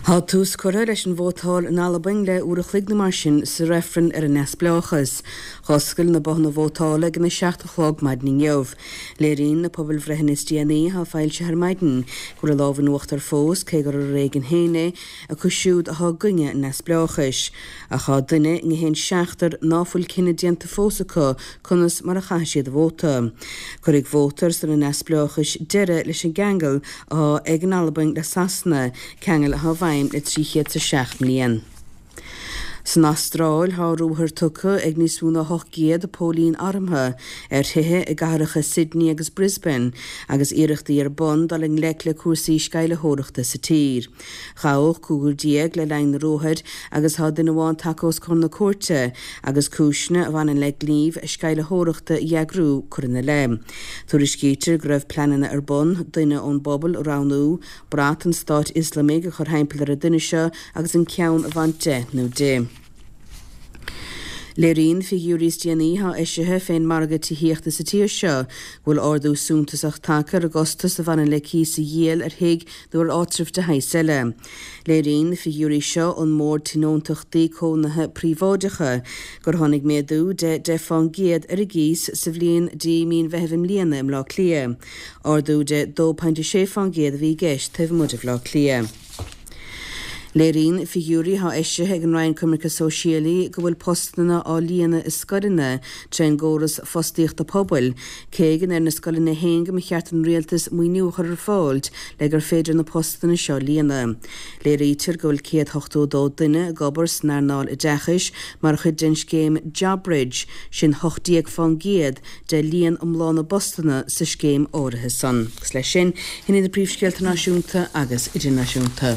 Tá tús curtha leis an vótáil in Albain le uair a chloig nó mar sin sa reifreann ar an neamhspleáchas. Dh'oscail na bothanna vótála ag an 7 a chlog maidin inniu. Léiríonn na pobalbhreitheanna is déanaí atá foilsithe ar maidin go bhfuil an lámh in uachtar fós, cé gur ar éigean féin é, acu siúd atá i gcoinne an neamhspleáchais. Ach tá duine i ngach aon seachtar ná fuil cinneadh déanta fós acu conas mar a chaithfidh siad a vóta. Cuirfidh vóta ar son an neamhspleáchais deireadh leis an gceangal atá ag an Albain le Sasana, ceangal atá i bhfeidhm le 307 mbliain. San Astráil, tá ruathar tugtha ag níos mó ná 800 póilín armtha ar thithe i gcathracha Sydney agus Brisbane agus iarrachtaí ar bun dul i ngleic le cúrsaí sceimhlitheoireachta sa tír. Gabhadh 15 le linn na ruathair agus tá duine amháin tagtha os comhair na cúirte agus cúiseanna a bhaineann le gníomh sceimhlitheoireachta a eagrú curtha ina leith. Tuairiscítear go raibh pleananna ar bun duine ón bpobal a roghnú, brat an Stáit Ioslamaigh a chur thimpeall ar an duine seo agus an ceann a bhaint de nó di. Léiríonn figiúirí is déanaí atá eisithe fén margadh tithíochta sa tír seo go bhfuil ardú suntasach tagtha ar an gcostas a bhaineann le cíos a dhíol ar thigh nó ar áitreabh de shaghas eile. Léiríonn na figiúirí seo ón mBord Tionóntachtaí Cónaithe Príobháideacha gur tháinig méadú de 10 fán gcéad ar an gcíos sa bhliain dtí mí an Mheithimh i mbliana i mBleá Cliath. Ardú de 2.6 fán gcéad a bhí i gceist taobh amuigh de Bhleá Cliath. Léiríonn figiúirí atá eisithe ag an Roinn Coimirce Sóisialaí go bhfuil postanna á líonadh i scoileanna trén gcóras fostaíochta pobail, cé go ndeir na scoileanna féin go mba cheart don rialtas maoiniú a chur ar fáil le gur féidir na postanna seo a líonadh. Léirítear go bhfuil 182 duine ag obair san earnáil oideachais mar chuid den scéim JobBridge, sin 18 fán gcéad de líon iomlán na bpostanna sa scéim áirithe san. Agus leis sin, shin iad na príomhscéalta náisiúnta agus idirnáisiúnta.